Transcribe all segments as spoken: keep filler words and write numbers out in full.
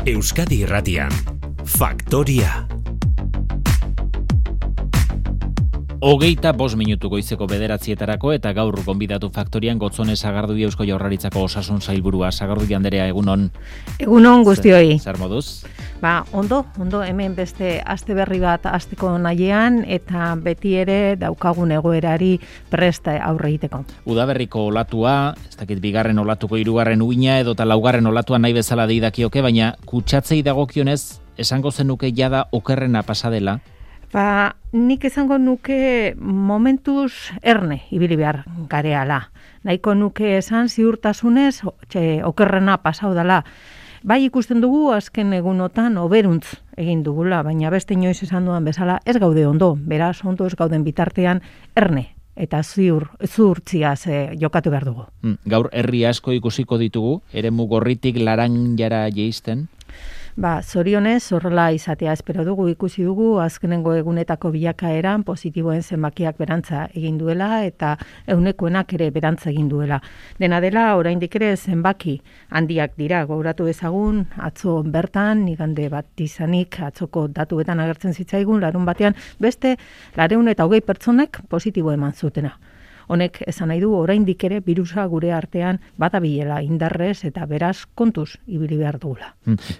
Euskadi Irratian, Faktoria. Hogeita bost minutu goizeko bederatzietarako eta gaur gonbidatu Faktorian Gotzone Sagardui Eusko Jaurlaritzako osasun sailburua. Sagardui Anderea, egunon. Egunon guztioi. Zer moduz? Ba, ondo, ondo hemen beste aste berri bat asteko nahian eta beti ere daukagun egoerari prest aurre egiteko. Udaberriko olatua, ez dakit bigarren olatuko hirugarren uina edo ta laugarren olatua nahi bezala deidakioke, baina kutsatzei dagokionez esango zenuke jada okerrena pasa dela. Ba, nik esango nuke momentuz erne ibili behar gareala. Nahiko nuke esan ziurtasunez txe, okerrena pasau dela. Bai ikusten dugu azken egunotan oberuntz egin dugula, baina beste inoiz esan duan bezala ez gaude ondo, beraz ondo ez gauden bitartean erne eta ziur, zuurtziaz eh, jokatu behar dugu. Hmm, gaur herri asko ikusiko ditugu, eremu gorritik laranjara jeisten. Ba, zorionez, horrela izatea espero dugu, ikusi dugu, azkenengo egunetako bilakaeran positiboen zenbakiak berantza egin duela eta eunekoenak ere berantza egin duela. Dena dela, oraindik ere zenbaki handiak dira, gogoratu ezagun, atzo bertan, igande bat izanik, atzoko datuetan agertzen zitzaigun, larun batean, beste, lareun eta hogei pertsonek positibo eman zutena. Honek esan nahi du oraindik ere birusa gure artean badabilela indarrez eta beraz kontuz ibili behar dugula.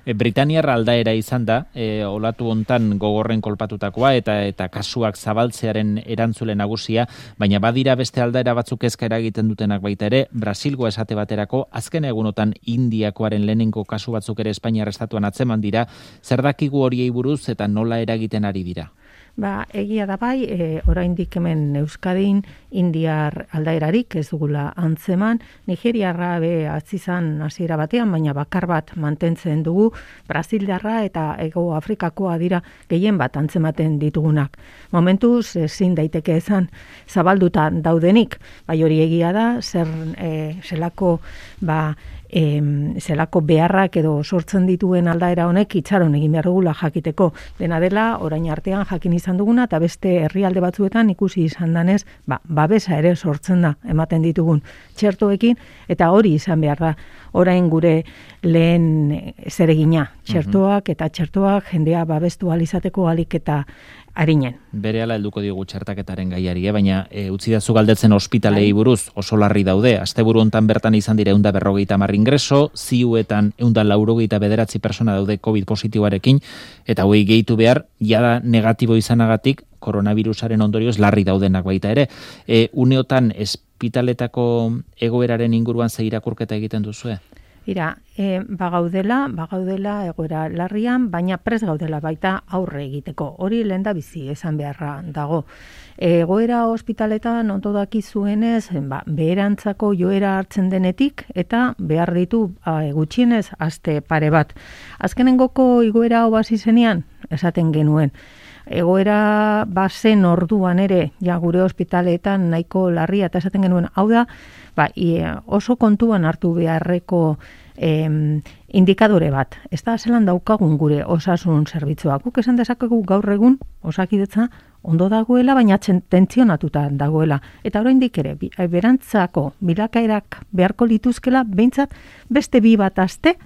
E, Britaniar aldaera izan da, e, olatu hontan gogorren kolpatutakoa eta eta kasuak zabaltzearen erantzule nagusia, baina badira beste aldaera batzuk kezka eragiten dutenak baita ere, Brasilgo esate baterako, azken egunotan Indiakoaren lehenengo kasu batzuk ere Espainiar estatuan atzeman dira, zer dakigu horiei buruz eta nola eragiten ari dira? Ba, egia da bai, e, oraindik hemen Euskadin indiar aldaerarik ez dugula antzeman, Nigeriarra be atzizan hasiera batean, baina bakar bat mantentzen dugu, Brasildarra eta Hego Afrikakoa dira gehien bat antzematen ditugunak. Momentuz ezin daiteke esan zabalduta daudenik, bai hori egia da, zer e, zelako ba E, zelako beharrak edo sortzen dituen aldaera honek itxaron egin behar dugula jakiteko. Dena dela, orain artean jakin izan duguna eta beste herrialde batzuetan ikusi izan danez, ba, babesa ere sortzen da ematen ditugun txertoekin eta hori izan behar da. Orain gure lehen zeregina, txertoak eta txertoak jendea babestu alizateko alik eta arinen. Berehala helduko diogu txertaketaren gaiari, eh? baina e, utzi dazu galdetzen ospitalei buruz oso larri daude. Asteburu hontan bertan izan dira ehun eta berrogeita hamar ingreso, ziuetan ehun eta laurogeita bederatzi persona daude COVID positiboarekin, eta hoi gehitu behar, jada negatibo izanagatik, koronavirusaren ondorioz larri daudenak baita ere. E, uneotan ospitaletako egoeraren inguruan ze irakurketa egiten duzue? Ira, e, bagaudela, bagaudela egoera larrian, baina pres gaudela baita aurre egiteko. Hori lenda bizi esan beharra dago. Egoera ospitaletan ondo dakizuenez, ba, beherantzako joera hartzen denetik eta behar ditu a, gutxienez aste pare bat. Azkenengoko igoera hau hasi zenean, esaten genuen. Egoera bazen orduan ere, ja gure ospitaletan nahiko larria eta esaten genuen, hau da, ba, i, oso kontuan hartu beharreko em, indikadore bat. Ez da zelan daukagun gure osasun zerbitzuak. Guk esan dezakegu gaur egun osakidetza ondo dagoela, baina tentzionatuta dagoela. Eta oraindik ere, berantzako bilakaerak beharko lituzkela, behintzat beste bi bat aste,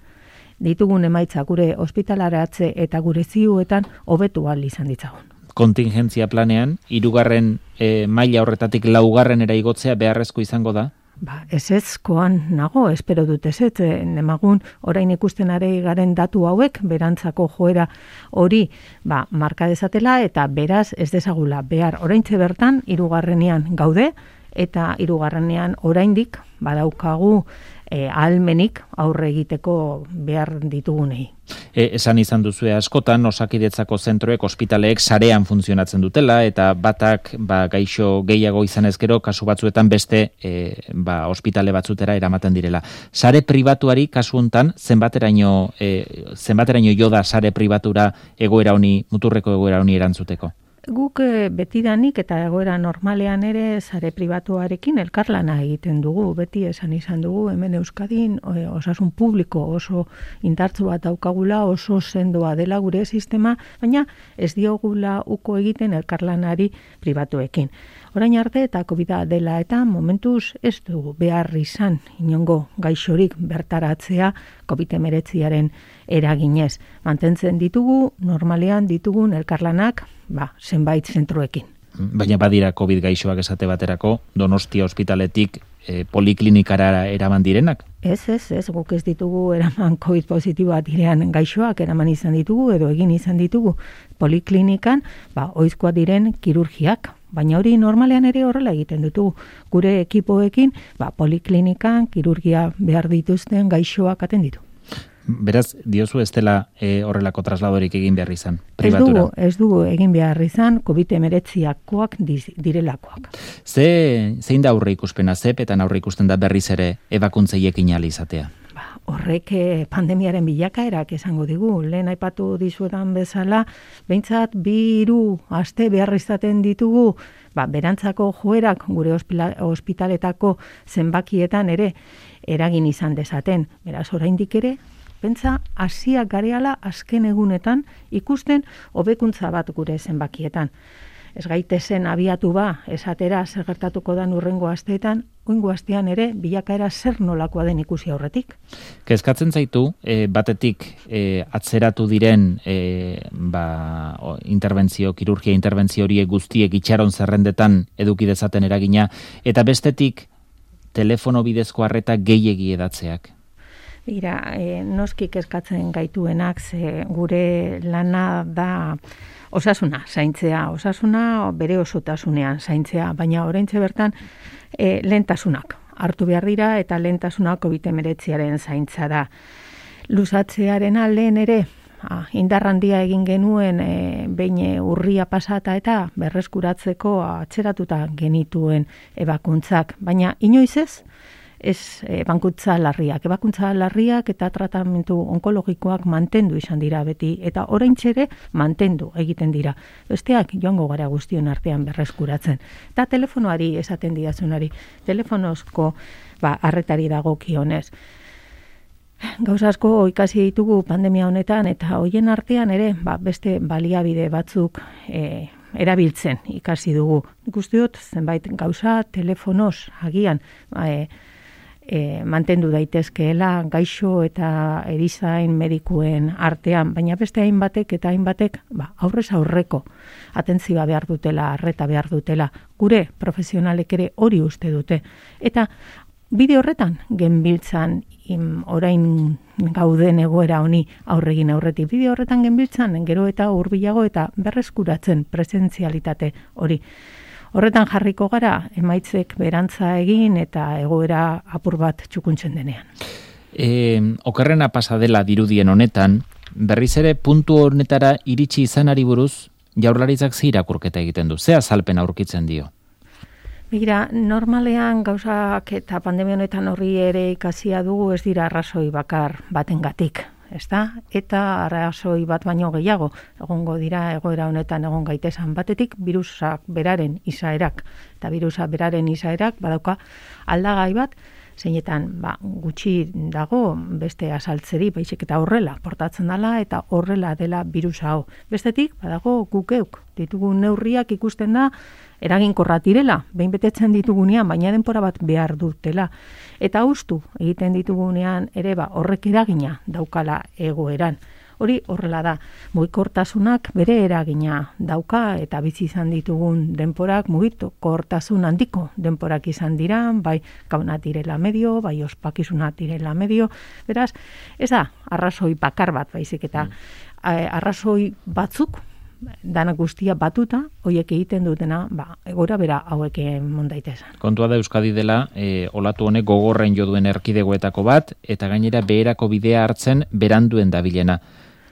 ditugun emaitza gure ospitalaratze eta gure ziuetan hobetu ahal izan ditzagun. Kontingentzia planean, hirugarren e, maila horretatik laugarren era igotzea beharrezko izango da? Ba, ez ezkoan nago, espero dut ez ez, nemagun orain ikusten are garen datu hauek, berantzako joera hori ba, marka dezatela eta beraz ez dezagula behar oraintze bertan hirugarrenean gaude eta hirugarrenean oraindik badaukagu E, ahalmenik aurre egiteko behar ditugunei. E, esan izan duzue askotan, osakidetzako zentroek, ospitaleek sarean funtzionatzen dutela, eta batak ba, gaixo gehiago izan ezkero, kasu batzuetan beste e, ba, ospitale batzutera eramaten direla. Sare pribatuari kasu hontan, zenbateraino, e, zenbateraino jo da sare pribatura egoera honi, muturreko egoera honi erantzuteko? Guk betidanik eta egoera normalean ere sare pribatuarekin elkarlana egiten dugu. Beti esan izan dugu hemen Euskadin osasun publiko oso indartsu bat daukagula, oso sendoa dela gure sistema, baina ez diogula uko egiten elkarlanari pribatuekin. Orain arte eta covida dela eta momentuz ez dugu behar izan inongo gaixorik bertaratzea covid hemeretziaren eraginez. Mantentzen ditugu, normalean ditugun elkarlanak, ba, zenbait zentroekin. Baina badira COVID gaixoak esate baterako, Donostia ospitaletik e, poliklinikara eraman direnak? Ez, ez, ez, guk ez ditugu eraman COVID positiboa direan gaixoak eraman izan ditugu edo egin izan ditugu poliklinikan, ba, oizkoa diren kirurgiak. Baina hori normalean ere horrela egiten ditugu. Gure ekipoekin, ba, poliklinikan, kirurgia behar dituzten gaixoak atenditu. Beraz, diozu ez dela e, horrelako trasladorik egin behar izan, pribatura? Ez dugu, ez dugu egin behar izan, covid hemeretziakoak direlakoak. Ze, zein da aurre ikuspena, zepetan aurre ikusten da berriz ere ebakuntzeiekin ahal izatea? Ba, horrek pandemiaren bilakaerak esango digu. Lehen aipatu dizuetan bezala, behintzat bi hiru aste behar izaten ditugu, ba, berantzako joerak gure ospitaletako zenbakietan ere eragin izan dezaten. Beraz, oraindik ere, pentsa, hasiak gareala azken egunetan ikusten hobekuntza bat gure zenbakietan. Ez gaitezen abiatu ba, esatera zer gertatuko da urrengo asteetan, oingo astean ere bilakaera zer nolakoa den ikusi aurretik. Kezkatzen zaitu, e, batetik e, atzeratu diren e, ba, o, interbentzio, kirurgia interbentzio horiek guztiek itxaron zerrendetan eduki dezaten eragina, eta bestetik telefono bidezko arreta gehiegi edatzeak. Ira, e, noski kezkatzen gaituenak, ze gure lana da osasuna zaintzea, osasuna bere osotasunean zaintzea, baina oraintxe bertan e, lehentasunak hartu behar dira eta lehentasuna covid hemeretziaren zaintza da. Luzatzearen aldean ere, ah, indarrandia egin genuen e, behin urria pasata eta berreskuratzeko atzeratuta genituen ebakuntzak, baina inoiz ez, ez e, bankutza larriak. Ebakuntza larriak eta tratamentu onkologikoak mantendu izan dira beti, eta oraintxere mantendu egiten dira. Besteak joango gara guztion artean berreskuratzen. Eta telefonoari esaten didazunari, telefonozko ba, arretari dagokionez. Gauza asko ikasi ditugu pandemia honetan, eta hoien artean ere ba, beste baliabide batzuk e, erabiltzen ikasi dugu. Guztiot, zenbait gauza telefonoz agian e, E, mantendu daitezkeela gaixo eta erizain medikuen artean, baina beste hainbatek eta hainbatek ba, aurrez aurreko atentzioa behar dutela, arreta behar dutela, gure profesionalek ere hori uste dute. Eta bide horretan genbiltzan im, orain gauden egoera honi aurregin aurretik. Bide horretan genbiltzan gero eta hurbilago eta berreskuratzen presentzialitate hori. Horretan jarriko gara, emaitzek berantza egin eta egoera apur bat txukuntzen denean. E, okerrena pasa dela dirudien honetan, berriz ere puntu honetara iritsi izanari buruz, Jaurlaritzak ze irakurketa egiten du, ze azalpen aurkitzen dio? Begira, normalean gauzak eta pandemia honetan horri ere ikasia dugu ez dira arrazoi bakar batengatik. Ezta? Eta arrazoi bat baino gehiago egongo dira egoera honetan egon gaitesan batetik birusak beraren izaerak. Eta birusa beraren izaerak badauka aldagai bat, zeinetan ba, gutxi dago beste asaltzeri, baizik eta horrela portatzen dela eta horrela dela birusa hau. Bestetik, badago gukeuk ditugun neurriak ikusten da eraginkorra direla, behin betetzen ditugunean, baina denpora bat behar dutela. Eta hustu egiten ditugunean ere ba, horrek eragina daukala egoeran. Hori horrela da, mugikortasunak bere eragina dauka eta bizi izan ditugun denporak mugikortasun handiko denporak izan dira, bai gauna direla medio, bai ospakizuna direla medio, beraz, ez da, arrazoi bakar bat baizik eta mm. arrazoi batzuk, dana guztia batuta, hoiek egiten dutena, ba, egora bera hauek emon daitezan. Kontua da Euskadi dela, e, olatu honek gogorren jo duen erkidegoetako bat, eta gainera beherako bidea hartzen beranduen dabilena.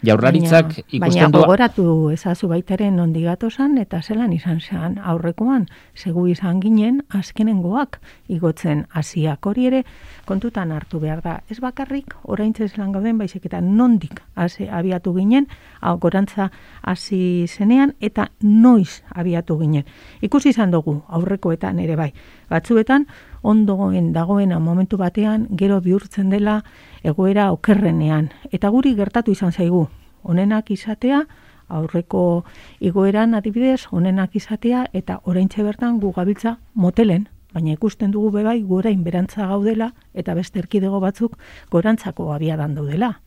Jaurlaritzak baina, ikusten du... Baina gogoratu ezazu baitaren ondigatosan eta zelan izan zen aurrekoan, segu izan ginen azkenengoak igotzen hasiak hori ere kontutan hartu behar da. Ez bakarrik oraintze zelan gauden baizik eta nondik hasi abiatu ginen, hau gorantza hasi zenean eta noiz abiatu ginen. Ikusi izan dugu aurrekoetan ere bai. Batzuetan ondoen dagoena momentu batean gero bihurtzen dela egoera okerrenean. Eta guri gertatu izan zaigu. Honenak izatea, aurreko igoeran adibidez, honenak izatea eta oraintxe bertan gu gabiltza motelen. Baina ikusten dugu bebai gorain berantza gaudela eta beste erkidego batzuk gorantzako abiadan daudela.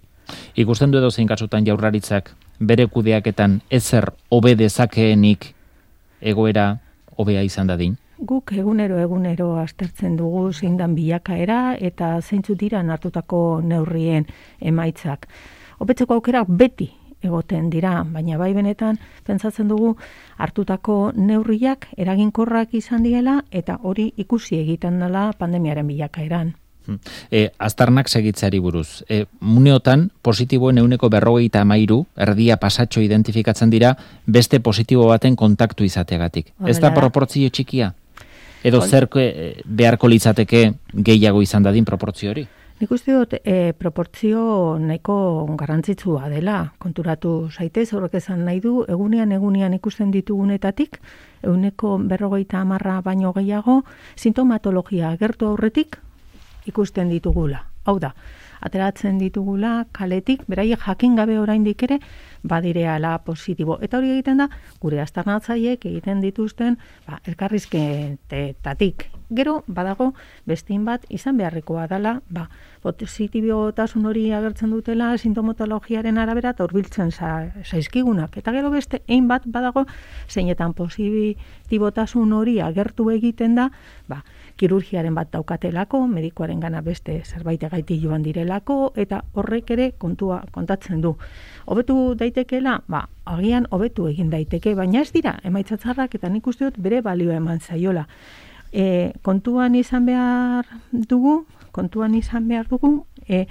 Ikusten du edo zein kasutan Jaurlaritzak bere kudeaketan ezer hobe dezakeenik egoera hobea izan dadin? Guk egunero egunero aztertzen dugu zein dan bilakaera eta zeintzu dira hartutako neurrien emaitzak. Hobetzeko aukerak beti egoten dira, baina bai benetan pentsatzen dugu hartutako neurriak eraginkorrak izan diela eta hori ikusi egiten dela pandemiaren bilakaeran. E, aztarnak segitzeari buruz. E, muneotan positiboen ehuneko berrogeita hamairu erdia pasatxo identifikatzen dira beste positibo baten kontaktu izateagatik. Ez da proportzio txikia? Edo zer beharko litzateke gehiago izan dadin proportzio hori? Nik uste dut e, proportzio nahiko garrantzitsua dela. Konturatu zaitez, horrek esan nahi du, egunean egunean ikusten ditugunetatik, ehuneko berrogeita hamarra baino gehiago, sintomatologia agertu aurretik ikusten ditugula. Hau da, ateratzen ditugula kaletik, beraiek jakin gabe oraindik ere, badireala positibo. Eta hori egiten da, gure aztarnatzaileek egiten dituzten ba, elkarrizketetatik. Gero, badago, bestin bat izan beharrekoa dela, ba, positibotasun hori agertzen dutela sintomatologiaren arabera eta hurbiltzen zaizkigunak. Eta gero beste, ein bat badago, zeinetan positibotasun hori agertu egiten da, ba, kirurgiaren bat daukatelako, medikoaren gana beste zerbait gaiti joan direlako, eta horrek ere kontua kontatzen du. Hobetu daitekeela, ba, agian hobetu egin daiteke, baina ez dira, emaitzatzarrak eta nik uste dut bere balioa eman zaiola. E, kontuan izan behar dugu, kontuan izan behar dugu, e,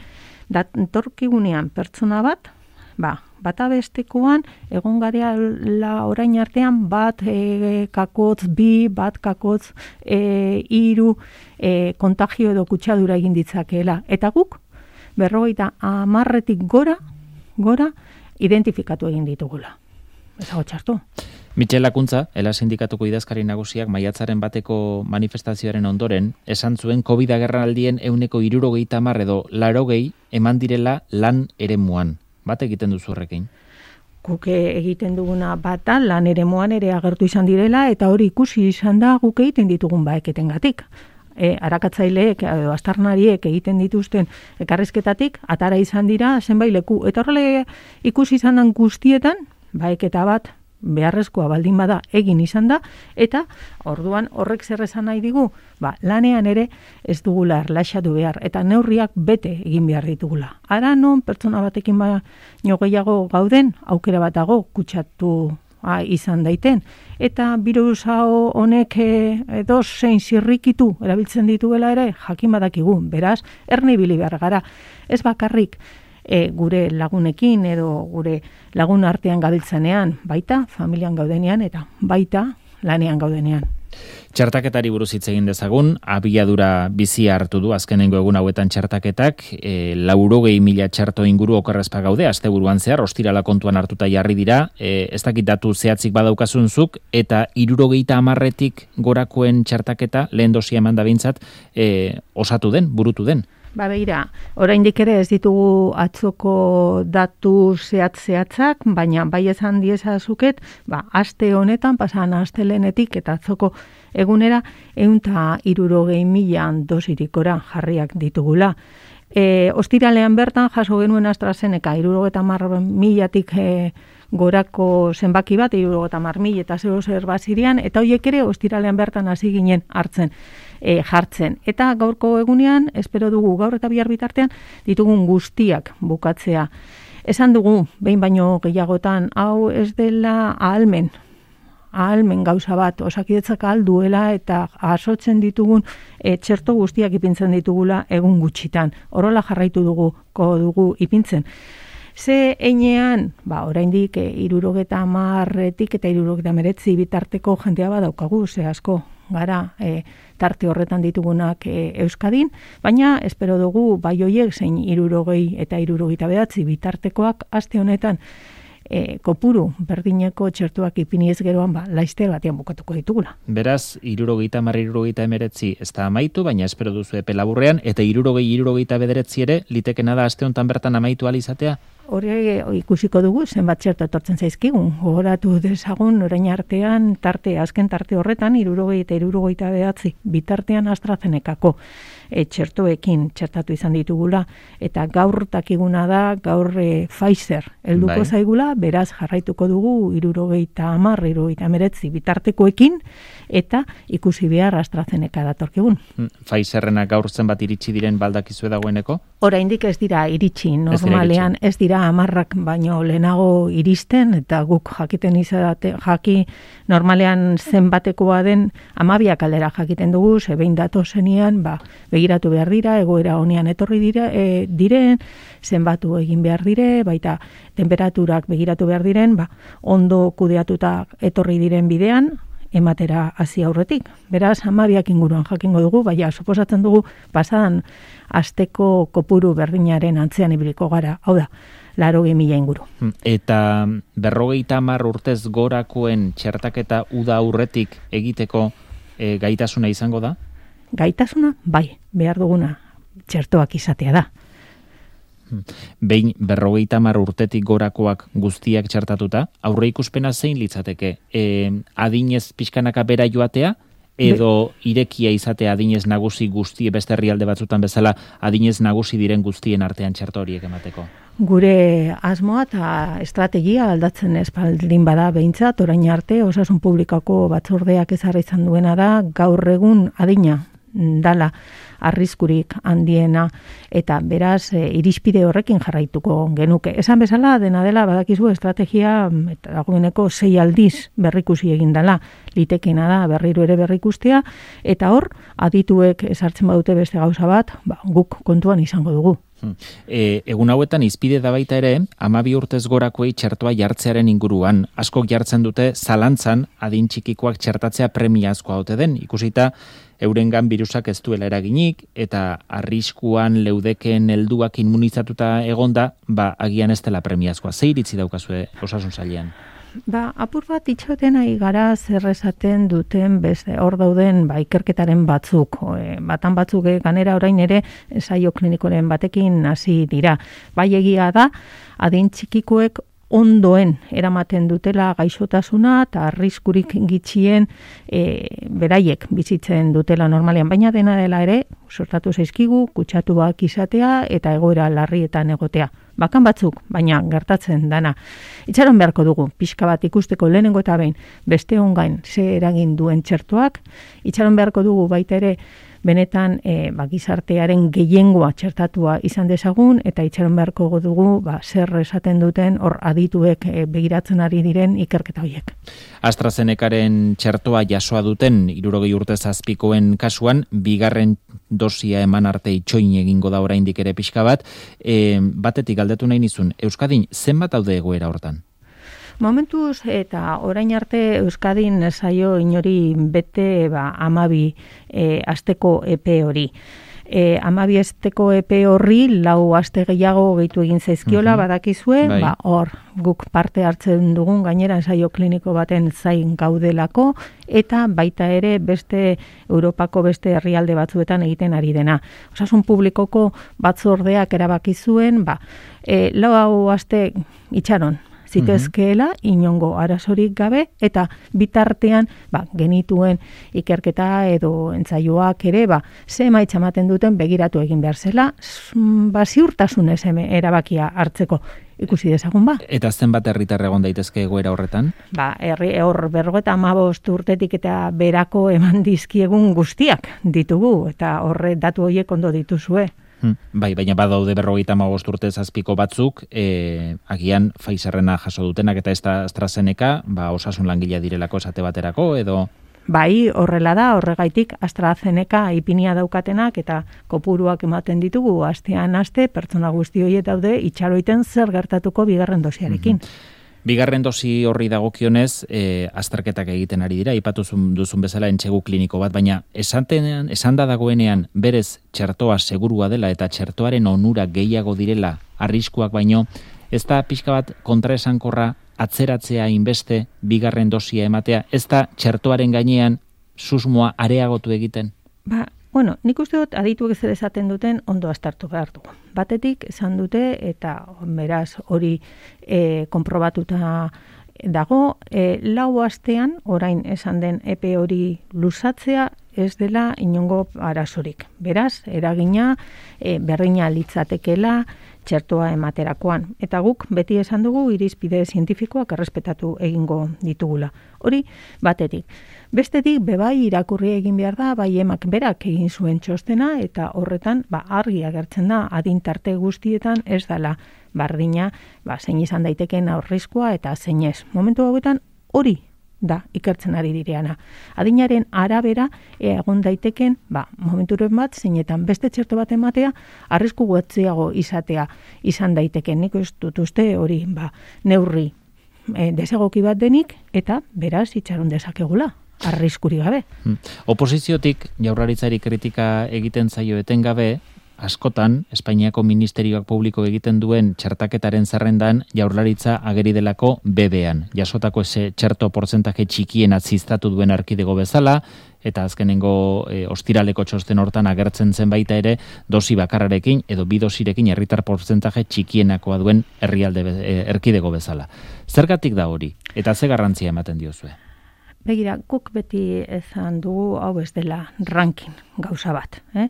datorkigunean pertsona bat, ba, bata bestekoan, egon gareala orain artean, bat e, kakotz, bi, bat kakotz, e, iru, e, kontagio edo kutsadura egin ditzakeela. Eta guk, berrogeita hamarretik gora, gora, identifikatu egin ditugula. Ez hau txartu. Mitxel Lakuntza, Ela Sindikatuko idazkari nagusiak maiatzaren bateko manifestazioaren ondoren, esan zuen COVID agerraldien ehuneko hirurogeita hamar edo laurogei eman direla lan eremuan. Bat egiten duzu horrekin? Guk egiten duguna bata lan eremuan ere agertu izan direla eta hori ikusi izan da guk egiten ditugun baeketengatik. E, arakatzaileek edo astarnariek egiten dituzten ekarrizketatik atara izan dira zenbait leku. Eta horrela ikusi izan den guztietan baeketa bat beharrezkoa baldin bada egin izan da, eta orduan horrek zer esan nahi digu, ba, lanean ere ez dugula erlaxatu behar, eta neurriak bete egin behar ditugula. Ara non pertsona batekin baino gehiago gauden, aukera bat dago kutsatu ha, izan daiten, eta birus hau honek edo zein zirrikitu erabiltzen dituela ere, jakin badakigu, beraz, erne ibili behar gara, ez bakarrik, E, gure lagunekin edo gure lagun artean gabiltzanean, baita familian gaudenean eta baita lanean gaudenean. Txertaketari buruz hitz egin dezagun, abiadura bizia hartu du azkenengo egun hauetan txertaketak, e, laurogei mila txerto inguru okerrezpa gaude, asteburuan zehar, ostirala kontuan hartuta jarri dira, e, ez dakit datu zehatzik badaukazunzuk, eta hirurogeita hamarretik gorakoen txertaketa, lehen dosia eman da bintzat, e, osatu den, burutu den. Ba beira, oraindik ere ez ditugu atzoko datu zehatz-zehatzak, baina bai esan diezazuket, ba, aste honetan, pasan astelenetik eta atzoko egunera, ehun eta hirurogei mila dosirikora jarriak ditugula. E, ostiralean bertan, jaso genuen AstraZeneca, hirurogeita hamar milatik e, gorako zenbaki bat, hirurogeita hamar mila eta zero zer bazirian, eta horiek ere ostiralean bertan hasi ginen hartzen. E, jartzen. Eta gaurko egunean, espero dugu gaur eta bihar bitartean, ditugun guztiak bukatzea. Esan dugu, behin baino gehiagotan, hau ez dela ahalmen, ahalmen gauza bat, Osakidetzak ahal duela eta asotzen ditugun e, txerto guztiak ipintzen ditugula egun gutxitan. Horrela jarraitu dugu, ko dugu ipintzen. Ze einean, ba, oraindik e, irurogeta hamarretik eta irurogeta meretzi bitarteko jendea badaukagu, ze asko gara e, tarte horretan ditugunak e, Euskadin, baina espero dugu bai hoiek zein irurogei eta irurogeita bederatzi bitartekoak aste honetan E, kopuru berdineko txertuak ipiniez geroan, ba, laizter batean bukatuko ditugula. Beraz, irurogeita hamar, irurogeita emeretzi ez da amaitu, baina espero duzu epe laburrean, eta irurogei, irurogeita bederetzi ere, litekena da aste honetan bertan amaitu alizatea? Hori ikusiko dugu, zenbat txertu etortzen zaizkigun. Gogoratu dezagun, orain artean, tarte, azken tarte horretan, irurogei eta irurogeita bederatzi, bitartean AstraZenecako e, txertuekin txertatu izan ditugula, eta gaur takiguna da, gaur e, Pfizer helduko bai. Zaigula, beraz jarraituko dugu, irurogeita hamar, irurogeita emeretzi bitartekoekin, eta ikusi behar AstraZeneca datorkigun. Pfizerrena gaur zenbat iritsi diren baldakizue dagoeneko? Oraindik ez dira iritsi, normalean ez dira hamarrak baino lehenago iristen, eta guk jakiten izate, jaki normalean zenbatekoa den hamabiak aldera jakiten dugu, ze behin datozenean, ba, begiratu behar dira, egoera honean etorri dira, e, diren, zenbatu egin behar dire, baita temperaturak begiratu behar diren, ba, ondo kudeatuta etorri diren bidean, ematera hasi aurretik. Beraz, hamabiak inguruan jakingo dugu, baina suposatzen dugu pasadan asteko kopuru berdinaren antzean ibiliko gara, hau da, laurogei mila inguru. Eta berrogeita hamar urtez gorakoen txertaketa uda aurretik egiteko e, gaitasuna izango da? Gaitasuna, bai, behar duguna txertoak izatea da. Behin berrogeita hamar urtetik gorakoak guztiak txertatuta, aurre ikuspena zein litzateke? E, adinez pixkanaka bera joatea, edo irekia izatea adinez nagusi guzti, beste herrialde batzutan bezala, adinez nagusi diren guztien artean txerto horiek emateko? Gure asmoa eta estrategia aldatzen espaldin bada behintzat, orain arte, osasun publikako batzordeak ezarri izan duena da, gaur egun adina dala arriskurik handiena, eta beraz e, irizpide horrekin jarraituko genuke. Esan bezala, dena dela badakizu estrategia eta dagoeneko sei aldiz berrikusi egin dela, litekena da berriro ere berrikustea, eta hor adituek esartzen badute beste gauza bat, ba, guk kontuan izango dugu. E, egun hauetan izpide da baita ere, hamabi urtez gorakoei txertoa jartzearen inguruan. Askok jartzen dute zalantzan adin txikikoak txertatzea premiazkoa ote den, ikusita eurengan birusak ez duela eraginik, eta arriskuan leudeken helduak immunizatuta egonda, ba, agian ez dela premiazkoa. Ze iritzi daukazue osasun sailean? Ba, apur bat itxoten ari gara zer esaten duten beste hor dauden ba, ikerketaren batzuk. E, batan batzuk ganera orain ere ensaio klinikoren batekin hasi dira. Bai egia da, adin txikikoek ondoen eramaten dutela gaixotasuna eta arriskurik gitxien e, beraiek bizitzen dutela normalean, baina dena dela ere sortatu zaizkigu, kutsatuak izatea eta egoera larrietan egotea. Bakan batzuk, baina gertatzen dana. Itxaron beharko dugu, pixka bat ikusteko lehenengo eta behin beste ongain ze eragin duen txertoak, itxaron beharko dugu baita ere benetan e, ba, gizartearen gehiengoa txertatua izan dezagun, eta itxaron beharko dugu ba, zer esaten duten hor adituek e, begiratzen ari diren ikerketa horiek. AstraZenecaren txertoa jasoa duten hirurogei urte zazpikoen kasuan, bigarren dosia eman arte itxoin egingo da oraindik ere pixka bat, e, batetik galdetu nahi nizun, Euskadin zenbat daude egoera hortan? Momentuz eta orain arte Euskadin zaio inori bete ba, amabi e, asteko epe hori. E, amabi asteko epe horri lau aste gehiago gehitu egin zaizkiola, uh-huh. badakizue, bai. ba, hor guk parte hartzen dugun gainera ensaio kliniko baten zain gaudelako, eta baita ere beste Europako beste herrialde batzuetan egiten ari dena. Osasun publikoko batzordeak erabaki zuen, ba, e, lau aste itxaron, zitezkeela, inongo arazorik gabe, eta bitartean ba, genituen ikerketa edo entzaioak ere, ba, ze emaitza ematen duten begiratu egin behar zela, ba, ziurtasunez erabakia hartzeko ikusi dezagun ba. Eta zenbat herritar egon daitezke egoera horretan? Ba, herri hor berrogeita hamabost urtetik eta berako eman dizkiegun guztiak ditugu, eta horre datu horiek ondo dituzue. Hmm, bai, baina badaude berrogeita hamabost urte zazpiko batzuk, e, agian Pfizerrena jaso dutenak eta ez da AstraZeneca, ba, osasun langilea direlako esate baterako, edo... bai, horrela da, horregaitik AstraZeneca ipinia daukatenak eta kopuruak ematen ditugu astean aste pertsona guzti horiek daude itxaroiten zer gertatuko bigarren dosiarekin. Mm-hmm. Bigarren dosi horri dagokionez, e, azterketak egiten ari dira, aipatu duzun bezala entsegu kliniko bat, baina esantenean, esanda dagoenean berez txertoa segurua dela eta txertoaren onura gehiago direla arriskuak baino, ez da pixka bat kontraesankorra atzeratzea inbeste bigarren dosia ematea, ez da txertoaren gainean susmoa areagotu egiten? Ba, bueno, nik uste dut adituek zer esaten duten ondo aztertu behar dugu. Batetik esan dute eta beraz hori e, konprobatuta dago, e, lau astean orain esan den epe hori luzatzea ez dela inongo arazorik. Beraz, eragina e, berdina litzatekela txertoa ematerakoan. Eta guk beti esan dugu irizpide zientifikoak errespetatu egingo ditugula. Hori batetik. Bestetik, bebai irakurri egin behar da, bai emak berak egin zuen txostena, eta horretan, ba, argi agertzen da, adintarte guztietan ez dela bardina, ba, zein izan daiteken aurrizkoa eta zein ez. Momentu hauetan hori da ikertzen ari direana. Adinaren arabera egon daiteken, ba, momenturen bat, zeinetan beste txerto bat ematea, arrisku gutxiago izatea izan daiteken. Nik ez dut uste hori, ba, neurri e, desegoki bat denik, eta beraz itxaron dezakegula. Arriskuri gabe. Oposiziotik jaurlaritzari kritika egiten zaio etengabe, askotan Espainiako ministerioak publiko egiten duen txertaketaren zerrendan jaurlaritza ageri delako B B-an. Jasotako ese txerto portzentaje txikien atziztatu duen arkidego bezala, eta azkenengo e, ostiraleko txosten hortan agertzen zen baita ere dosi bakarrarekin edo bi dosirekin herritar portzentaje txikienakoa duen herrialde e, erkidego bezala. Zergatik da hori? Eta ze garrantzia ematen diozue? Begira, guk beti ezan dugu hau ez dela ranking gauza bat. Eh?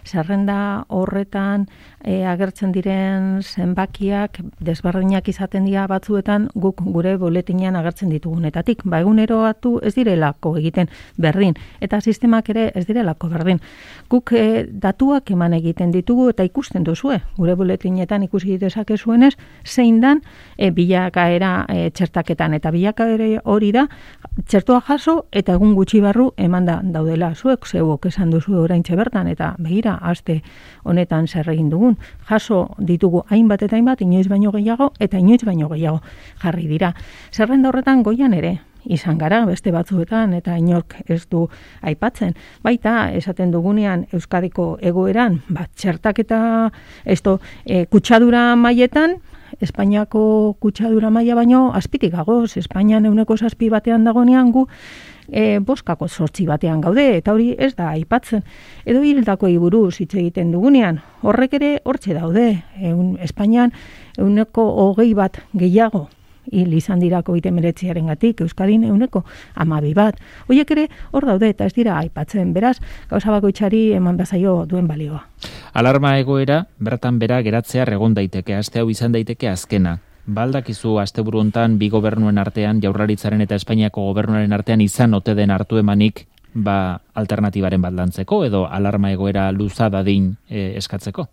Zerrenda horretan e, agertzen diren zenbakiak desberdinak izaten dira batzuetan guk gure boletinean agertzen ditugunetatik. Ba, eguneroatu ez direlako egiten berdin eta sistemak ere ez direlako berdin. Guk e, datuak eman egiten ditugu eta ikusten duzue. Gure boletinetan ikusi dezakezuenez zein dan e, bilakaera e, txertaketan eta bilakaera hori da txertoa jaso eta egun gutxi barru emanda daudela. Zuek zeuok esan duzu oraintxe bertan eta begira aste honetan zer egin dugun. Jaso ditugu hainbat eta hainbat inoiz baino gehiago eta inoiz baino gehiago jarri dira. Zerrenda horretan goian ere izan gara beste batzuetan eta inork ez du aipatzen. Baita esaten dugunean Euskadiko egoeran, bat txertaketa esto e, kutsadura mailetan Espainiako kutsadura maila baino azpitik gagoz, Espainian euneko zazpi batean dagonean gu e, boskako zortzi batean gaude, eta hori ez da aipatzen. Edo hildako buruz hitz egiten dugunean, horrek ere hortxe daude, Eun, Espainian euneko hogei bat gehiago hil izan dira covid hemeretziaren gatik, Euskadin euneko hamabi bat. Horiek ere hor daude eta ez dira aipatzen, beraz, gauza bakoitzari eman bazaio duen balioa. Alarma egoera, bertan bera geratzea egon daiteke, aste hau izan daiteke azkena. Baldakizu asteburu hontan bi gobernuen artean, Jaurlaritzaren eta Espainiako gobernuaren artean izan ote den hartu emanik, ba alternatibaren bat lantzeko edo alarma egoera luza dadin e, eskatzeko?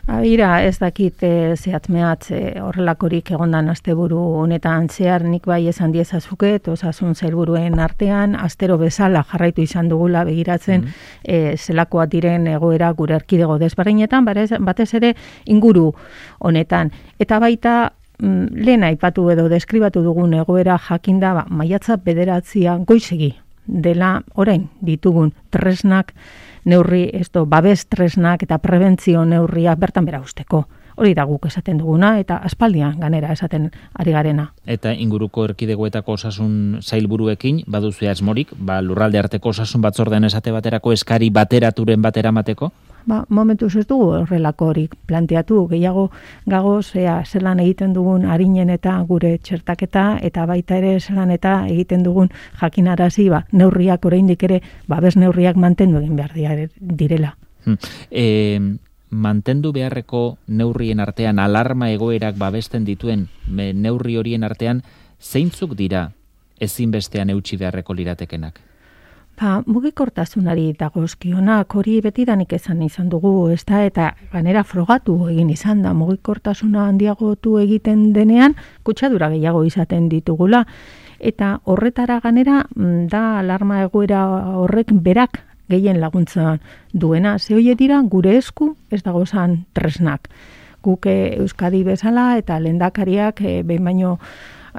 Aira, ez dakit e, zehatmeat e, horrelakorik egondan asteburu honetan zehar nik bai esan diezazuket, osasun sailburuen artean, astero bezala jarraitu izan dugula begiratzen mm. e, zelakoa diren egoera gure erkidego desberdinetan, batez ere inguru honetan. Eta baita mm, lehen aipatu edo deskribatu dugun egoera jakinda ba, maiatza bederatzian goizegi dela orain ditugun tresnak, neurri, esto, babes tresnak eta prebentzio neurriak bertan bera usteko. Hori da guk esaten duguna eta aspaldian ganera esaten ari garena. Eta inguruko erkidegoetako osasun sailburuekin baduzu asmorik, ba lurralde arteko osasun batzordean esate baterako eskari bateraturen batera mateko? Ba, momentuz ez dugu horrelako horik planteatu, gehiago gagoz ea zelan egiten dugun arinen eta gure txertaketa eta baita ere zelan eta egiten dugun jakinarazi ba, neurriak oraindik ere babes neurriak mantendu egin behar direla. Hmm. E, mantendu beharreko neurrien artean alarma egoerak babesten dituen neurri horien artean zeintzuk dira ezinbestean eutsi beharreko liratekenak? Ba, mugikortasunari dagozkionak hori betidanik esan izan dugu, ez da, eta ganera frogatu egin izan da, mugikortasuna handiagotu egiten denean, kutsadura gehiago izaten ditugula. Eta horretara ganera, da alarma egoera horrek berak gehien laguntza duena. Ze hoe dira gure esku ez dagozan tresnak. Guk Euskadi bezala eta lehendakariak e, behin baino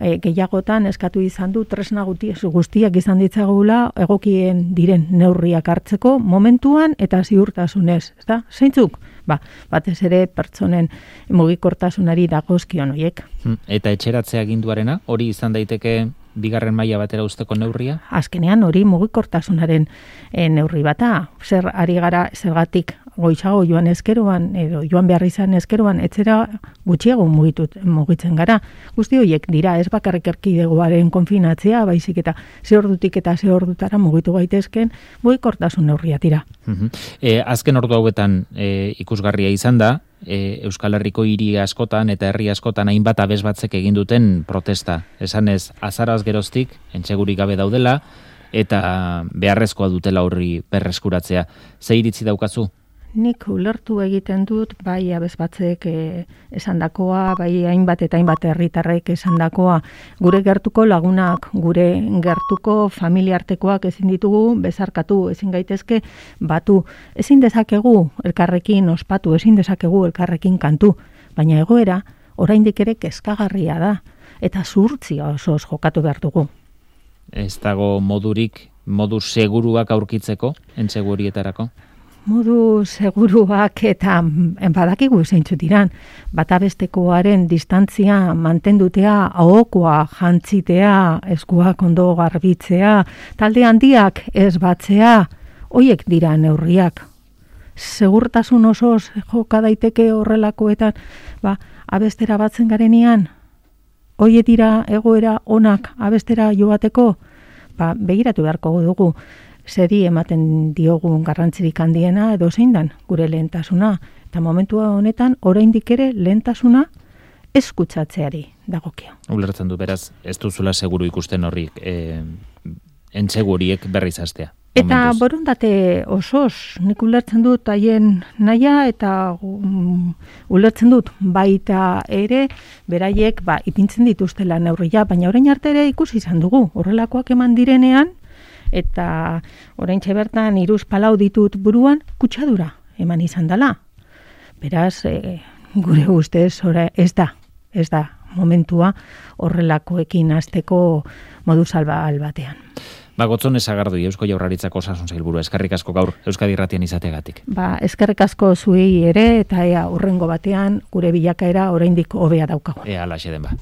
e, gehiagotan eskatu izan du tresna guztiak izan ditzagula egokien diren neurriak hartzeko momentuan eta ziurtasunez, ezta? Zeintzuk? Ba, batez ere pertsonen mugikortasunari dagozkion horiek. Eta etxeratzea aginduarena, hori izan daiteke bigarren maila batera usteko neurria? Azkenean hori mugikortasunaren e, neurri bata. Zer ari gara zergatik goizago joan ezkeroan edo joan behar izan ezkeroan etzera gutxiago mugitut, mugitzen gara. Guzti horiek dira ez bakarrik erkidegoaren konfinatzea, baizik eta ze ordutik eta ze ordutara mugitu gaitezken mugikortasun neurria dira. Uh-huh. e, azken ordu hauetan e, ikusgarria izan da, e, Euskal Herriko hiri askotan eta herri askotan hainbat abesbatzek egin duten protesta. Esanez, azaraz geroztik, entsegurik gabe daudela, eta beharrezkoa dutela horri berreskuratzea. Ze iritzi daukazu? Nik ulertu egiten dut, bai abesbatzek e, esandakoa, bai hainbat eta hainbat herritarrek esandakoa. Gure gertuko lagunak, gure gertuko familiartekoak ezin ditugu bezarkatu, ezin gaitezke batu. Ezin dezakegu elkarrekin ospatu, ezin dezakegu elkarrekin kantu. Baina egoera, oraindik ere kezkagarria da, eta zuhurtzia osoz jokatu behar dugu. Ez dago modurik, modu seguruak aurkitzeko, entsegurietarako? Modu seguruak eta badakigu zeintzu diran, bata bestekoaren distantzia mantendutea, ahokoa jantzitea, eskuak ondo garbitzea, talde handiak ez batzea, hoiek dira neurriak. Segurtasun osoz joka daiteke horrelakoetan, ba, abestera batzen garenean, hoie dira egoera onak abestera joateko, ba, begiratu beharko dugu. Zeri ematen diogun garrantzirik handiena edo zein dan gure lehentasuna. Eta momentua honetan, oraindik ere lehentasuna eskutsatzeari dagokio. Ulertzen du, beraz, ez duzula seguru ikusten horrik, e, entseguriek berriz hastea. Eta borondate osoz, nik ulertzen dut haien naia eta um, ulertzen dut baita ere beraiek ba, ipintzen dituztela neurria, baina orain arte ere ikusi izan dugu, horrelakoak eman direnean, eta oraintxe bertan hiruz palau ditut buruan kutsadura eman izan dela. Beraz, e, gure ustez ora, ez da, ez da momentua horrelakoekin hasteko modu salbal batean. Ba, Gotzone Sagardui, Eusko Jaurlaritzako Osasun Sailburua, eskerrik asko gaur Euskadi Irratian izategatik. Ba, eskerrik asko zuei ere eta ea hurrengo batean gure bilakaera oraindik hobea daukagu. Ea alaxe den ba.